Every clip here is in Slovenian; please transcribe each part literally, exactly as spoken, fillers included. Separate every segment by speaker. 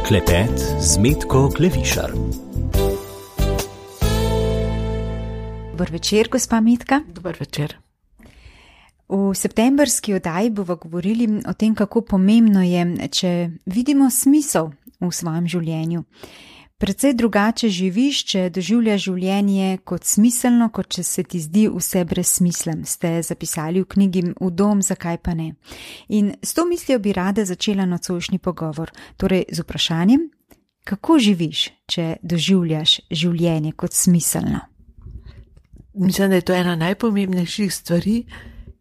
Speaker 1: Klepet z Metko Klevišar.
Speaker 2: Dober večer, gospa Metka.
Speaker 3: Dober večer.
Speaker 2: V septembrski oddaji bomo govorili o tem, kako pomembno je, če vidimo smisel v svojem življenju. Predvsej drugače živiš, če doživljaš življenje kot smiselno, kot če se ti zdi vse brez smisla, ste zapisali v knjigi V dom, zakaj pa ne. In s to mislijo bi rada začela nocojšnji pogovor, torej z vprašanjem, kako živiš, če doživljaš življenje kot smiselno?
Speaker 3: Mislim, da je to ena najpomembnejših stvari,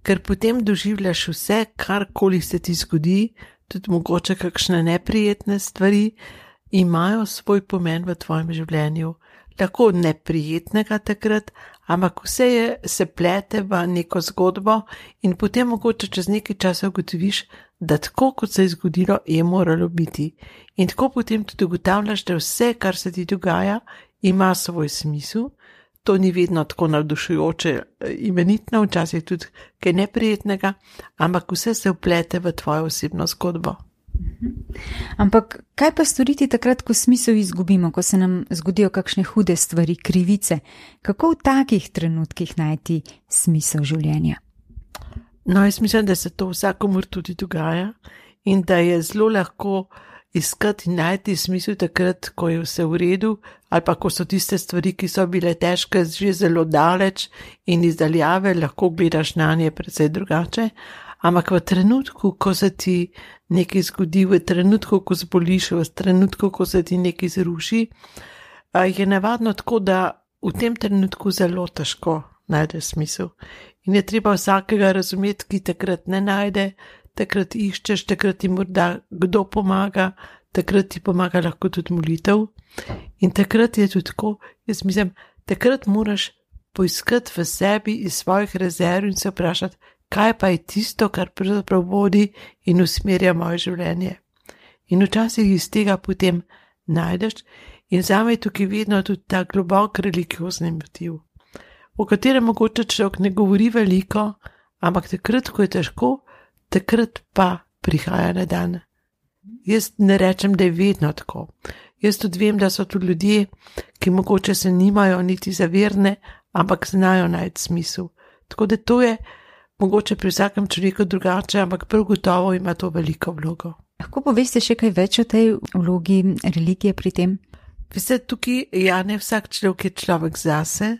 Speaker 3: ker potem doživljaš vse, karkoli se ti zgodi, tudi mogoče kakšne neprijetne stvari, imajo svoj pomen v tvojem življenju. Lahko neprijetnega takrat, ampak vse je, se plete v neko zgodbo in potem mogoče čez nekaj časa ugotoviš, da tako, kot se je zgodilo, je moralo biti. In tako potem tudi ugotavljaš, da vse, kar se ti dogaja, ima svoj smisel. To ni vedno tako navdušujoče, imenitno, včasih tudi kaj neprijetnega, ampak vse se vplete v tvojo osebno zgodbo.
Speaker 2: Ampak kaj pa storiti takrat, ko smisel izgubimo, ko se nam zgodijo kakšne hude stvari, krivice? Kako v takih trenutkih najti smisel življenja?
Speaker 3: No, jaz mislim, da se to vsakomur tudi dogaja in da je zelo lahko iskati in najti smisel takrat, ko je vse v redu, ali pa ko so tiste stvari, ki so bile težke, že zelo daleč in izdaljave, lahko gledaš na nje precej drugače. Ampak v trenutku, ko se ti nekaj zgodi, v trenutku, ko zboliš, v trenutku, ko se ti nekaj zruši, je navadno tako, da v tem trenutku zelo težko najde smisel. In je treba vsakega razumeti, ki takrat ne najde, takrat iščeš, takrat ti morda kdo pomaga, takrat ti pomaga lahko tudi molitev. In takrat je tudi tako, jaz mislim, takrat moraš poiskati v sebi iz svojih rezerv in se vprašati, kaj pa je tisto, kar pravzaprav vodi in usmerja moje življenje. In včasih iz tega potem najdeš in zame je tukaj vedno tudi ta globok religiozni motiv, o katerem mogoče človek ne govori veliko, ampak takrat, ko je težko, takrat pa prihaja na dan. Jaz ne rečem, da je vedno tako. Jaz tudi vem, da so tudi ljudje, ki mogoče se nimajo niti za verne, ampak znajo najti smisel. Tako da to je mogoče pri vsakem človeku drugače, ampak prav gotovo ima to veliko vlogo.
Speaker 2: Lahko poveste še kaj več o tej vlogi religije pri tem?
Speaker 3: Veste, tukaj, ja, ne vsak človek je človek zase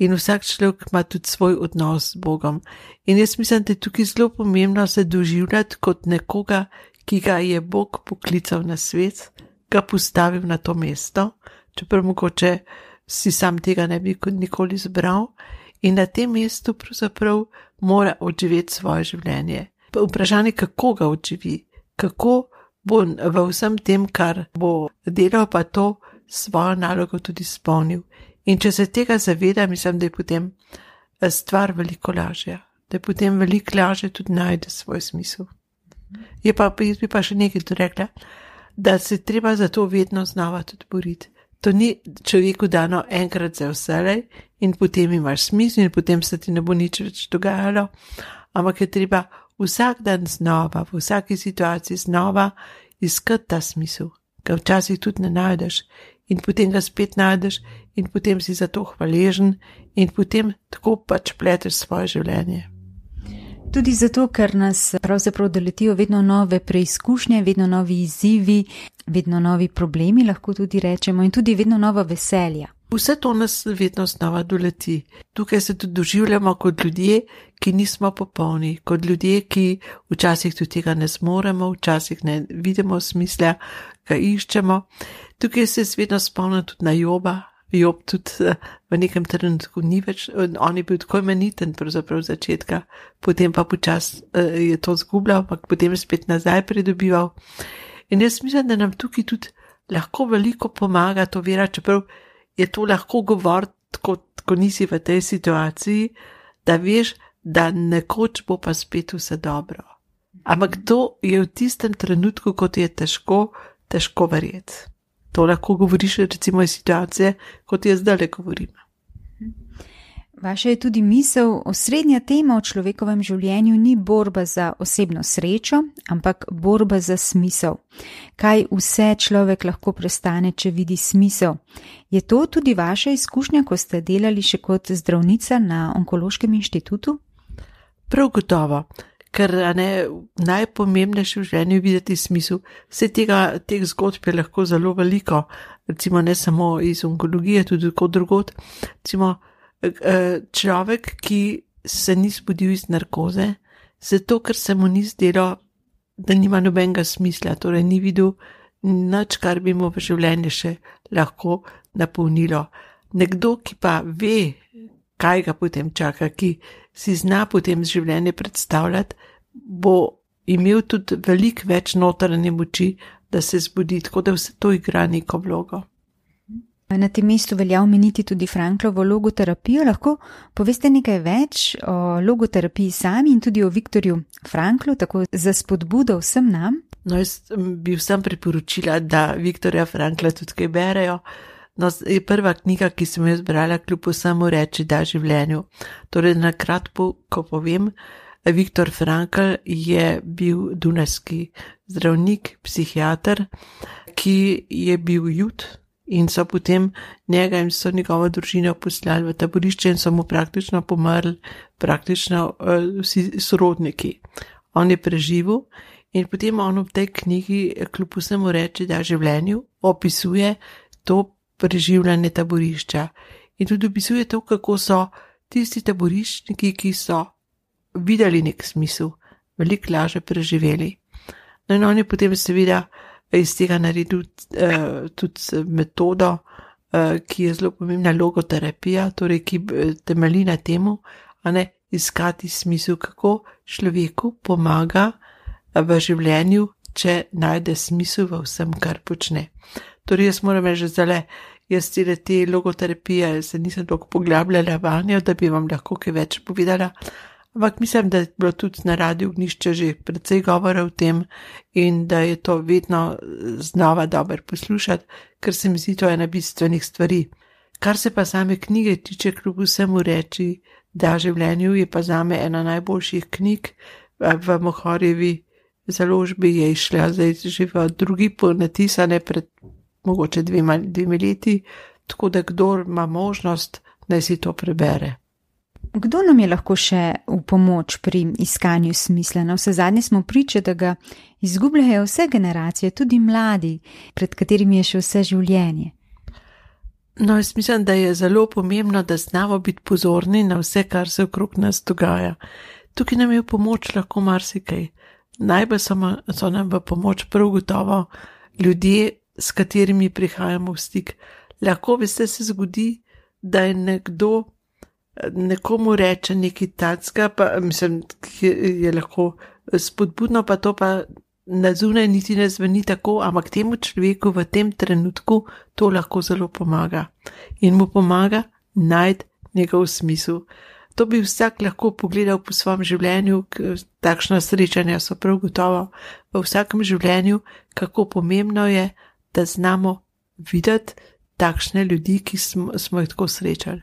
Speaker 3: in vsak človek ima tudi svoj odnos z Bogom. In jaz mislim, da je tukaj zelo pomembno se doživljati kot nekoga, ki ga je Bog poklical na svet, ga postavil na to mesto, čeprav mogoče si sam tega ne bi nikoli zbral. In na tem mestu pravzaprav mora odživeti svoje življenje. Vprašanje, kako ga odživi, kako bo v vsem tem, kar bo delal, pa to svojo nalogo tudi spolnil. In če se tega zaveda, mislim, da je potem stvar veliko lažja, da je potem veliko lažje tudi najde svoj smisel. Je pa, jaz bi pa še nekaj tu rekla, da se treba za to vedno znova tudi boriti. To ni človeku dano enkrat za vselej in potem imaš smisel in potem se ti ne bo nič več dogajalo, ampak je treba vsak dan znova, v vsaki situaciji znova iskati ta smisel, ga včasih tudi ne najdeš in potem ga spet najdeš in potem si za to hvaležen in potem tako pač pleteš svoje življenje.
Speaker 2: Tudi zato, ker nas pravzaprav doletijo vedno nove preizkušnje, vedno novi izzivi, vedno novi problemi, lahko tudi rečemo, in tudi vedno nova veselja.
Speaker 3: Vse to nas vedno znova doleti. Tukaj se tudi doživljamo kot ljudje, ki nismo popolni, kot ljudje, ki včasih tudi tega ne zmoremo, včasih ne vidimo smisla, ga iščemo. Tukaj se vedno spomnim tudi na Joba. Job tudi v nekem trenutku ni več, on je bil tako imeniten pravzaprav začetka, potem pa počas je to zgubljal, ampak potem spet nazaj pridobival. In jaz mislim, da nam tukaj tudi lahko veliko pomaga to vera, čeprav je to lahko govoriti, ko, ko nisi v tej situaciji, da veš, da nekoč bo pa spet vse dobro. Ampak to je v tistem trenutku, kot je težko, težko verjeti. To lahko govoriš recimo iz situacije, kot jaz zdaj le govorim.
Speaker 2: Vaša je tudi misel, osrednja tema v človekovem življenju ni borba za osebno srečo, ampak borba za smisel. Kaj vse človek lahko prestane, če vidi smisel? Je to tudi vaša izkušnja, ko ste delali še kot zdravnica na Onkološkem inštitutu?
Speaker 3: Prav gotovo, ker ne, najpomembnejše v življenju je videti smisel. Vse tega, teh zgodb je lahko zelo veliko, recimo ne samo iz onkologije, tudi kot drugot. Recimo, človek, ki se ni zbudil iz narkoze, zato ker se mu ni zdelo, da nima nobenega smisla, torej ni videl nič, kar bi mu v življenju še lahko napolnilo. Nekdo, ki pa ve, kaj ga potem čaka, ki si zna potem življenje predstavljati, bo imel tudi veliko več notranje moči, da se zbudi, tako da vse to igra neko vlogo.
Speaker 2: Na tem mestu velja omeniti tudi Franklovo logoterapijo. Lahko poveste nekaj več o logoterapiji sami in tudi o Viktorju Franklu, tako za spodbudo vsem nam?
Speaker 3: No, jaz bi vsem priporočila, da Viktorja Frankla tudi kaj berejo. No, je prva knjiga, ki sem jo zbrala, kljub vsemu reči da življenju. Torej, na kratko, ko povem, Viktor Frankl je bil dunajski zdravnik, psihiater, ki je bil jud. In so potem njega in so njegovo družino poslali v taborišče in so mu praktično pomrli, praktično uh, vsi sorodniki. On je preživel in potem on v tej knjigi, kljub vsemu reči, da življenju opisuje to preživljanje taborišča. In tudi opisuje to, kako so tisti taboriščniki, ki so videli nek smisel, veliko lažje preživeli. No in on je potem seveda iz tega naredil uh, tudi metodo, uh, ki je zelo pomembna, logoterapija, torej ki temelji na temu, a ne iskati smisel, kako človeku pomaga v življenju, če najde smisel v vsem, kar počne. Torej jaz moram reči, zdaj, jaz cele te logoterapije se nisem toliko poglabljala vanjo, da bi vam lahko kaj več povedala. Ampak mislim, da je bilo tudi na Radiu Ognjišče že precej govora o tem in da je to vedno znova dobro poslušati, ker se mi zdi to ena bistvenih stvari. Kar se pa same knjige tiče, kljub vsemu reči, da življenju je pa zame ena najboljših knjig. V Mohorjevi založbi je išla zdaj že v drugi ponatisane pred mogoče dvema, dvemi leti, tako da kdor ima možnost, naj si to prebere.
Speaker 2: Kdo nam je lahko še v pomoč pri iskanju smisla? Na vse zadnje smo priče, da ga izgubljajo vse generacije, tudi mladi, pred katerimi je še vse življenje.
Speaker 3: No, jaz mislim, da je zelo pomembno, da znamo biti pozorni na vse, kar se okrog nas dogaja. Tukaj nam je v pomoč lahko marsikaj. Najbolj so nam v pomoč prav gotovo ljudje, s katerimi prihajamo v stik. Lahko veste se zgodi, da je nekdo nekomu reče nekaj tacga, pa mislim, je lahko spodbudno, pa to pa na zunaj niti ne zveni tako, ampak temu človeku v tem trenutku to lahko zelo pomaga. In mu pomaga najti njegov smisel. To bi vsak lahko pogledal po svojem življenju, takšna srečanja so prav gotovo v vsakem življenju, kako pomembno je, da znamo videti takšne ljudi, ki smo, smo jih tako srečali.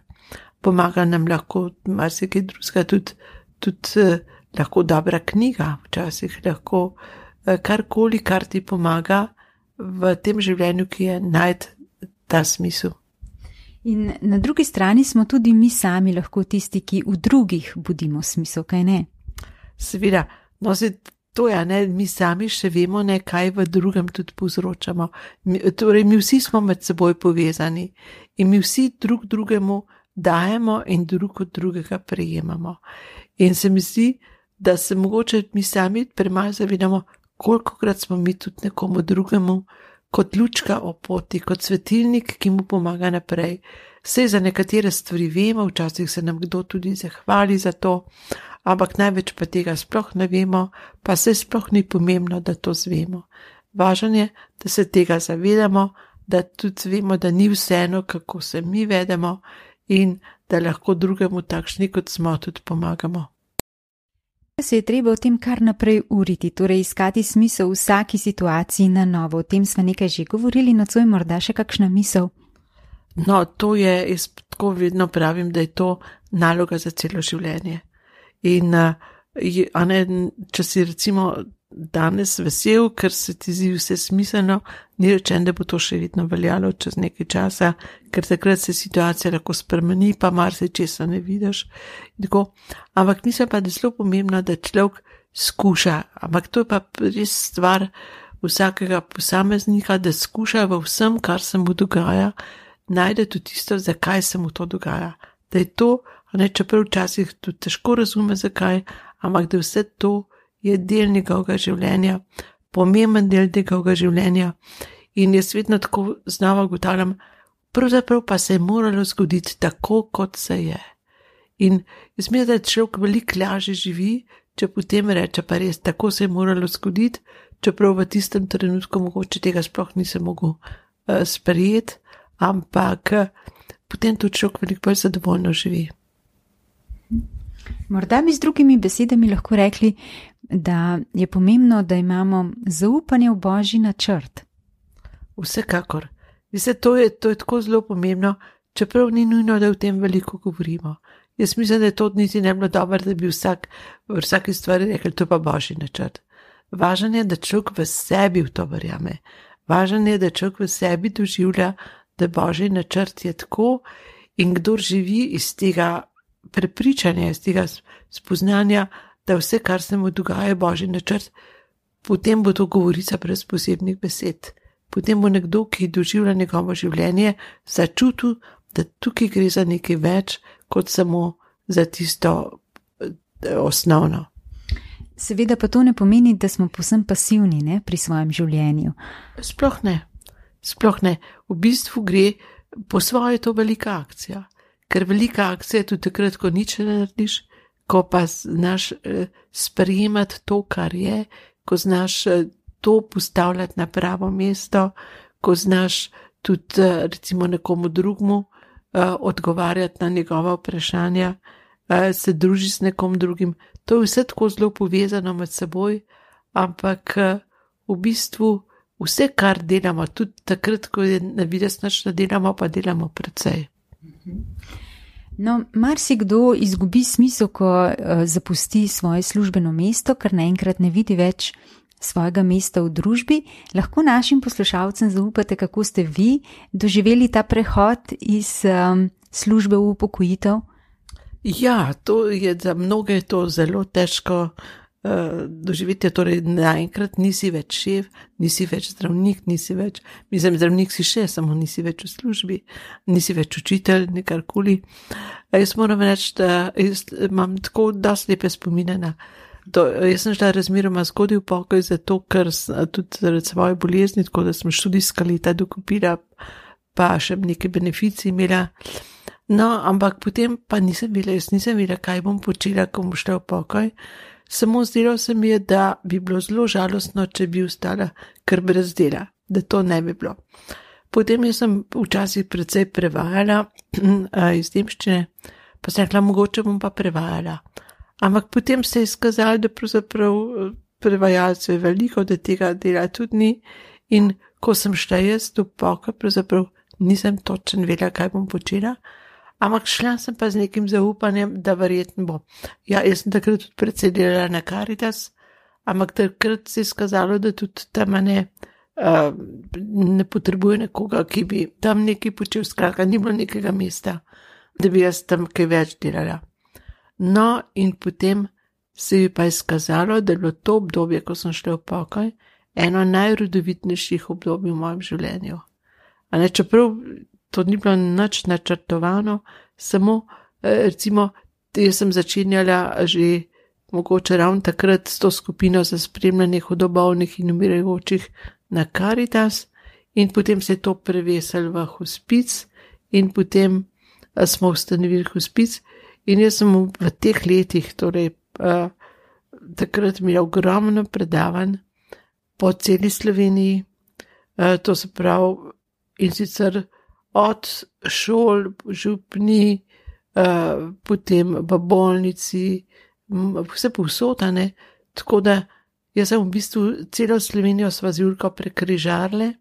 Speaker 3: Pomaga nam lahko marsikaj drugega, tudi, tudi eh, lahko dobra knjiga, včasih lahko eh, karkoli, kar ti pomaga v tem življenju, ki je najti ta smisel.
Speaker 2: In na drugi strani smo tudi mi sami lahko tisti, ki v drugih budimo smisel, kaj ne?
Speaker 3: Seveda, no se to je, ne, mi sami še vemo, ne, kaj v drugem tudi povzročamo. Mi, torej, mi vsi smo med seboj povezani in mi vsi drug drugemu dajemo in drug od drugega prejemamo. In se mi zdi, da se mogoče mi sami premalo zavedamo, kolikokrat smo mi tudi nekomu drugemu kot lučka o poti, kot svetilnik, ki mu pomaga naprej. Saj za nekatere stvari vemo, včasih se nam kdo tudi zahvali za to, ampak največ pa tega sploh ne vemo, pa se sploh ni pomembno, da to zvemo. Važno je, da se tega zavedamo, da tudi vemo, da ni vseeno, kako se mi vedemo, in da lahko drugemu takšni, kot smo, tudi pomagamo.
Speaker 2: Se je treba o tem kar naprej uriti, torej iskati smisel v vsaki situaciji na novo. O tem smo nekaj že govorili, nocoj morda še kakšna misel?
Speaker 3: No, to je, jaz tako vedno pravim, da je to naloga za celo življenje. In, a ne, če si recimo danes vesel, ker se ti zdi vse smiselno, ni rečen, da bo to še vedno veljalo čez nekaj časa, ker takrat se situacija lahko spremeni, pa marsičesa ne vidiš. Tako. Ampak mislim pa, da je zelo pomembno, da človek skuša, ampak to je pa res stvar vsakega posameznika, da skuša v vsem, kar se mu dogaja, najde tudi tisto, zakaj se mu to dogaja. Da je to, ne, čeprav včasih tudi težko razume, zakaj, ampak da vse to je del njegovega življenja, pomemben del njegovega življenja. In jaz vedno tako znova ugotavljam, pravzaprav pa se je moralo zgoditi tako, kot se je. In jaz mislim, da človek veliko lažje živi, če potem reče, pa res, tako se je moralo zgoditi, čeprav v tistem trenutku mogoče tega sploh nisem mogel uh, sprejeti, ampak uh, potem tudi človek veliko bolj zadovoljno živi.
Speaker 2: Morda bi z drugimi besedami lahko rekli, da je pomembno, da imamo zaupanje v Božji načrt.
Speaker 3: Vsekakor. Vse, to, je, to je tako zelo pomembno, čeprav ni nujno, da o tem veliko govorimo. Jaz mislim, da je to niti ne bilo dobro, da bi vsak v vsaki stvari rekel, to pa Božji načrt. Važno je, da človek v sebi v to verjame. Važno je, da človek v sebi doživlja, da Božji načrt je tako, in kdor živi iz tega prepričanja, iz tega spoznanja, da vse, kar se mu dogaja, je Božji načrt, potem bo to govorica brez posebnih besed. Potem bo nekdo, ki doživlja njegovo življenje, začutil, da tukaj gre za nekaj več, kot samo za tisto osnovno.
Speaker 2: Seveda pa to ne pomeni, da smo povsem pasivni, ne, pri svojem življenju.
Speaker 3: Sploh ne. Sploh ne. V bistvu gre po svoje to velika akcija. Ker velika akcija je tudi takrat, ko nič ne narediš, ko pa znaš eh, sprejemati to, kar je, ko znaš eh, to postavljati na pravo mesto, ko znaš tudi eh, recimo nekomu drugmu eh, odgovarjati na njegova vprašanja, eh, se druži s nekom drugim. To je vse tako zelo povezano med seboj, ampak eh, v bistvu vse, kar delamo, tudi takrat, ko je na videz nič ne delamo, pa delamo precej.
Speaker 2: No, marsikdo izgubi smisel, ko uh, zapusti svoje službeno mesto, ker naenkrat ne vidi več svojega mesta v družbi. Lahko našim poslušalcem zaupate, kako ste vi doživeli ta prehod iz um, službe v upokojitev?
Speaker 3: Ja, to je za mnoge to zelo težko uh, doživeti, torej naenkrat nisi več šef, nisi več zdravnik, nisi več, mislim, zdravnik si še, samo nisi več v službi, nisi več učitelj, nekarkoli. Jaz moram reči, da jaz imam tako dosti lepe spomine na to. Jaz sem šla razmeroma zgodaj v pokoj, zato ker tudi zaradi svoje bolezni, tako da sem študijska leta dokupila, pa še nekaj beneficij imela. No, ampak potem pa nisem bila, jaz nisem bila, kaj bom počela, ko bom šla v pokoj. Samo zdelo se mi je, da bi bilo zelo žalostno, če bi ostala kar brez dela, da to ne bi bilo. Potem jaz sem včasih precej prevajala iz nemščine, pa sem rekla, mogoče bom pa prevajala. Ampak potem se je izkazalo, da pravzaprav prevajalcev je veliko, da tega dela tudi ni, in ko sem šla jaz v pokoj, pravzaprav nisem točno vedela, kaj bom počela. Ampak šla sem pa z nekim zaupanjem, da verjetno bo. Ja, jaz sem takrat tudi precej delala na Caritas, ampak takrat se je skazalo, da tudi tam ne, uh, ne potrebuje nekoga, ki bi tam nekaj počel, skratka, ni bilo nekega mesta, da bi jaz tam kaj več delala. No, in potem se je pa izkazalo, da je bilo to obdobje, ko sem šla v pokoj, eno najrodovitnejših obdobij v mojem življenju. A ne, čeprav to ni bilo nič načrtovano, samo recimo, jaz sem začenjala že mogoče ravno takrat s to skupino za spremljanje hudobolnih in umirajočih na Caritas, in potem se je to prevesilo v hospic in potem smo ustanovili hospic, in jaz sem v teh letih, torej uh, takrat imela ogromno predavanj po celi Sloveniji, uh, to se pravi, in sicer od šol, župni, uh, potem v bolnici, vse povsotane, tako da jaz sem v bistvu celo Slovenijo sva z Julko prekrižarle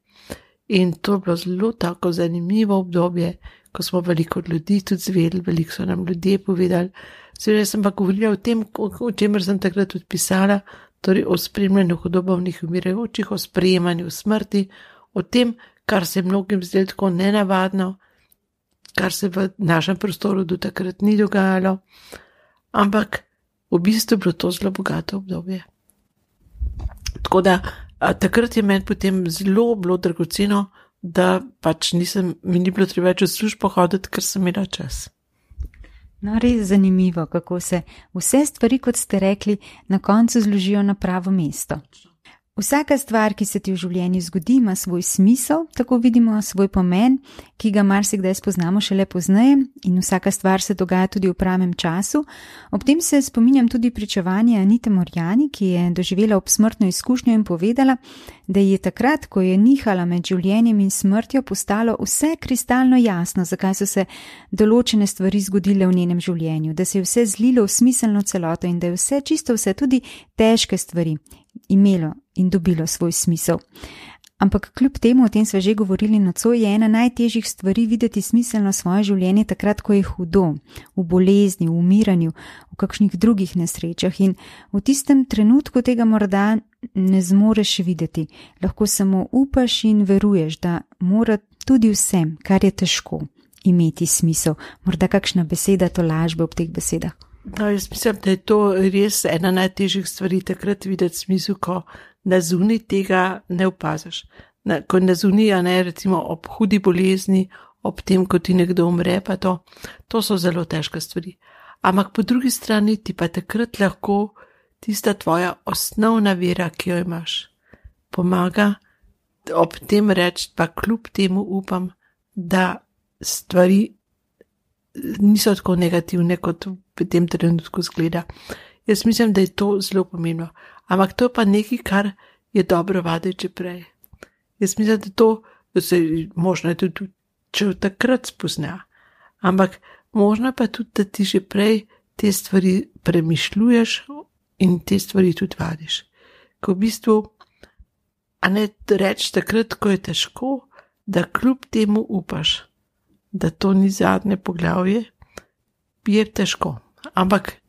Speaker 3: In to je bilo zelo tako zanimivo obdobje, ko smo veliko od ljudi tudi zvedeli, veliko so nam ljudje povedali. Seveda sem pa govorila o tem, o čemer sem takrat tudi pisala, torej o spremljanju hudobovnih umirajočih, o sprejemanju smrti, o tem, kar se je mnogim zdelo tako nenavadno, kar se v našem prostoru do takrat ni dogajalo, ampak v bistvu je bilo to zelo bogato obdobje. Tako da a, takrat je meni potem zelo bilo dragoceno, da pač nisem, mi ni bilo treba več v službo hoditi, ker sem imela čas.
Speaker 2: No, res zanimivo, kako se vse stvari, kot ste rekli, na koncu zložijo na pravo mesto. Vsaka stvar, ki se ti v življenju zgodi, ima svoj smisel, tako vidimo svoj pomen, ki ga marsikdaj spoznamo šele pozneje, in vsaka stvar se dogaja tudi v pravem času. Ob tem se spominjam tudi pričevanja Anite Morjani, ki je doživela obsmrtno izkušnjo in povedala, da je takrat, ko je nihala med življenjem in smrtjo, postalo vse kristalno jasno, zakaj so se določene stvari zgodile v njenem življenju, da se je vse zlilo v smiselno celoto in da je vse, čisto vse, tudi težke stvari, imelo in dobilo svoj smisel. Ampak kljub temu, o tem sva že govorili nocoj, je ena najtežjih stvari videti smiselno svoje življenje takrat, ko je hudo, v bolezni, v umiranju, v kakšnih drugih nesrečah, in v tistem trenutku tega morda ne zmoreš videti. Lahko samo upaš in veruješ, da mora tudi vsem, kar je težko, imeti smisel. Morda kakšna beseda tolažbe ob teh besedah.
Speaker 3: No, jaz mislim, da je to res ena najtežjih stvari takrat videti smisel, ko na zunaj tega ne opaziš. Na, ko na zunaj, ne, recimo ob hudi bolezni, ob tem, ko ti nekdo umre, pa to, to so zelo težke stvari. Ampak po drugi strani ti pa takrat lahko tista tvoja osnovna vera, ki jo imaš, pomaga ob tem reči, pa kljub temu upam, da stvari niso tako negativne, kot v tem trenutku zgleda. Jaz mislim, da je to zelo pomembno. Ampak to je pa nekaj, kar je dobro vaditi že prej. Jaz mislim, da to, da se možno je tudi, če v takrat spozna. Ampak možno pa tudi, da ti že prej te stvari premišljuješ in te stvari tudi vadiš. Ko v bistvu, a ne reči takrat, ko je težko, da kljub temu upaš, da to ni zadnje poglavje, je težko. Ampak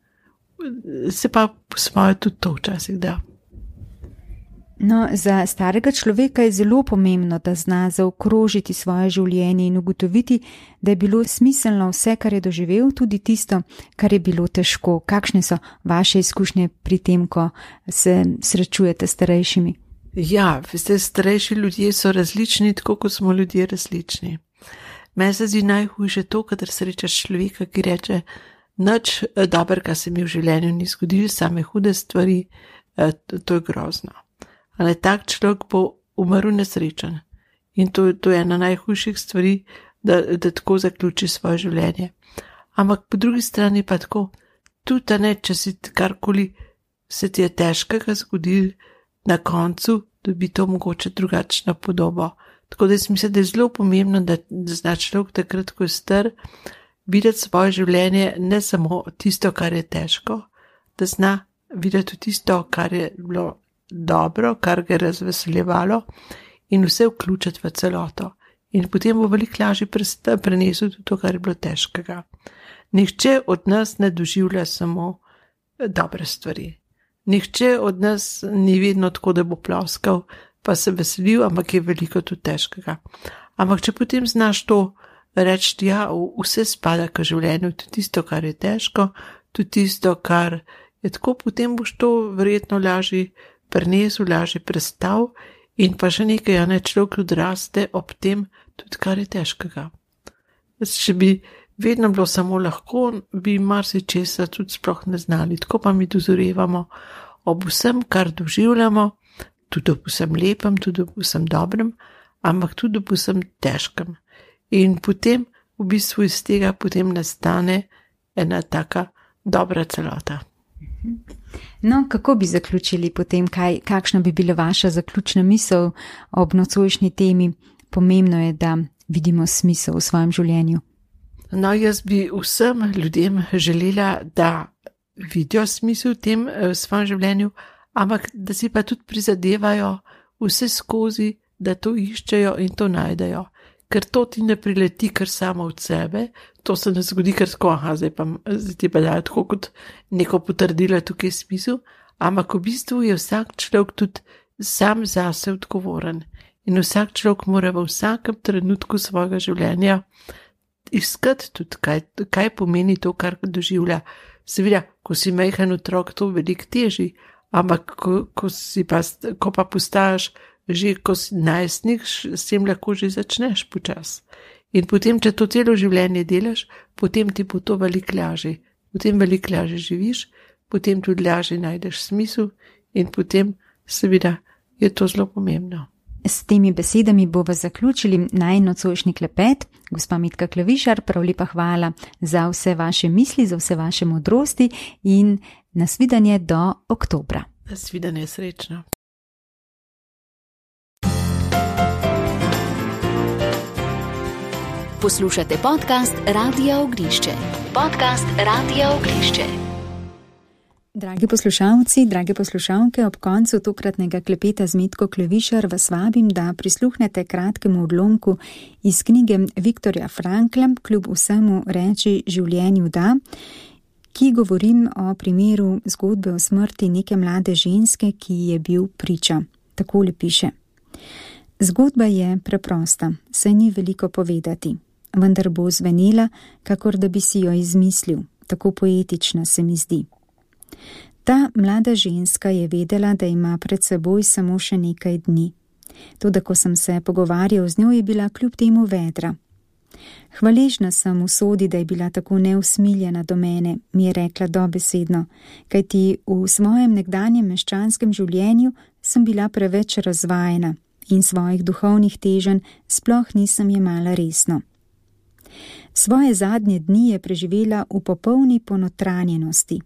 Speaker 3: se pa po svoje tudi to včasih da.
Speaker 2: No, za starega človeka je zelo pomembno, da zna zaokrožiti svoje življenje in ugotoviti, da je bilo smiselno vse, kar je doživel, tudi tisto, kar je bilo težko. Kakšne so vaše izkušnje pri tem, ko se srečujete s starejšimi?
Speaker 3: Ja, veste, starejši ljudje so različni, tako kot smo ljudje različni. Meni se zdi najhujše to, kadar srečaš človeka, ki reče, nič dobrega se mi v življenju ni zgodilo, same hude stvari, to je grozno. Ali tak človek bo umrl nesrečen. In to, to je ena najhujših stvari, da, da tako zaključi svoje življenje. Ampak po drugi strani pa tako, tudi ne, če si karkoli se ti je težkega zgodil, na koncu dobi to mogoče drugačno podobo. Tako da jaz mislim, da je zelo pomembno, da, da zna človek takrat, ko je star, videti svoje življenje ne samo tisto, kar je težko, da zna videti tisto, kar je bilo dobro, kar ga je razveseljevalo in vse vključiti v celoto. In potem bo veliko lažje prenesel tudi to, kar je bilo težkega. Nihče od nas ne doživlja samo dobre stvari. Nihče od nas ni vedno tako, da bo ploskal, pa se veselil, ampak je veliko tudi težkega. Ampak če potem znaš to reči, ja, vse spada k življenju, tudi tisto, kar je težko, tudi tisto, kar je tako, potem boš to verjetno lažje prenesel, lažje prestal in pa še nekaj, a ne, človek odraste ob tem tudi, kar je težkega. Če bi vedno bilo samo lahko, bi marsičesa tudi sploh ne znali, tako pa mi dozorevamo ob vsem, kar doživljamo, tudi ob vsem lepem, tudi ob vsem dobrem, ampak tudi ob vsem težkem. In potem v bistvu iz tega potem nastane ena taka dobra celota.
Speaker 2: No, kako bi zaključili potem, kaj, kakšna bi bila vaša zaključna misel ob nocojšnji temi? Pomembno je, da vidimo smisel v svojem življenju.
Speaker 3: No, jaz bi vsem ljudem želela, da vidijo smisel v tem v svojem življenju, ampak da si pa tudi prizadevajo vse skozi, da to iščejo in to najdejo. Ker to ti ne prileti kar samo od sebe, to se ne zgodi kar tako, aha, zdaj pa zdaj ti pa dajo tako kot neko potrdilo tukaj smisel, ampak v bistvu je vsak človek tudi sam zase odgovoren in vsak človek mora v vsakem trenutku svojega življenja iskati tudi, kaj, kaj pomeni to, kar doživlja. Seveda, ko si majhen otrok, to veliko teži, ampak ko, ko, si pa, ko pa postajaš že ko si najstnik, s tem lahko že začneš počas. In potem, če to celo življenje delaš, potem ti bo to veliko lažje. Potem veliko lažje živiš, potem tudi lažje najdeš smisel in potem seveda je to zelo pomembno.
Speaker 2: S temi besedami bomo zaključili najin nocojšnji klepet. Gospa Metka Klevišar, prav lepa hvala za vse vaše misli, za vse vaše modrosti in nasvidenje do oktobra.
Speaker 3: Nasvidenje, srečno.
Speaker 1: Poslušate podcast Radia Ognišče. Podcast Radia Ognišče.
Speaker 2: Dragi poslušalci, drage poslušalke, ob koncu tokratnega klepeta z Metko Klevišar vas vabim, da prisluhnete kratkemu odlomku iz knjige Viktorja Frankla, Kljub vsemu reči življenju da, ki govorim o primeru zgodbe o smrti neke mlade ženske, ki je bil priča. Takole piše. Zgodba je preprosta, saj ni veliko povedati, vendar bo zvenela, kakor da bi si jo izmislil, tako poetična se mi zdi. Ta mlada ženska je vedela, da ima pred seboj samo še nekaj dni. Toda ko sem se pogovarjal z njo, je bila kljub temu vedra. Hvaležna sem usodi, da je bila tako neusmiljena do mene, mi je rekla dobesedno, kajti v svojem nekdanjem meščanskem življenju sem bila preveč razvajena in svojih duhovnih teženj sploh nisem jemala resno. Svoje zadnje dni je preživela v popolni ponotranjenosti.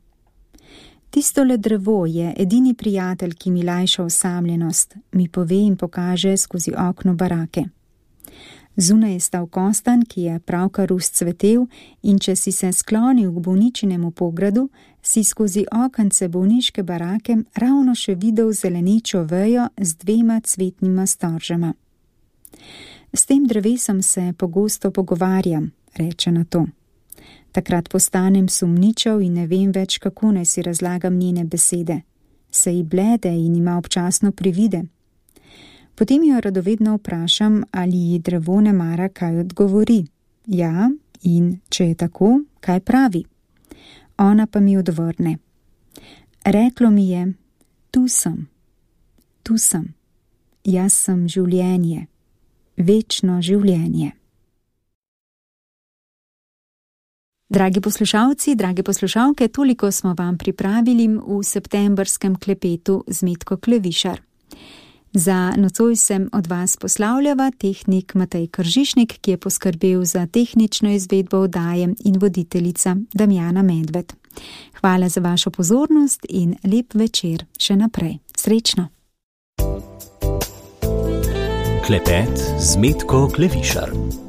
Speaker 2: Tistole drevo je edini prijatelj, ki mi lajša osamljenost, mi pove in pokaže skozi okno barake. Zunaj je stal Kostan, ki je pravkar vzcvetel, in če si se sklonil k bolničinemu pogradu, si skozi okence bolniške barake ravno še videl zelenečo vejo z dvema cvetnima storžama. S tem drevesom se pogosto pogovarjam, reče na to. Takrat postanem sumničav in ne vem več, kako naj si razlagam njene besede. Se ji blede in ima občasno privide. Potem jo radovedno vprašam, ali ji drevo ne mara kaj odgovori. Ja, in če je tako, kaj pravi? Ona pa mi odvrne. Reklo mi je, tu sem, tu sem, jaz sem življenje, večno življenje. Dragi poslušalci, drage poslušalke, toliko smo vam pripravili v septembrskem klepetu z Metko Klevišar. Za nocoj sem od vas poslavljava tehnik Matej Kržišnik, ki je poskrbel za tehnično izvedbo oddaje, in voditeljica Damjana Medved. Hvala za vašo pozornost in lep večer še naprej. Srečno!
Speaker 1: Klepet z Metko Klevišar.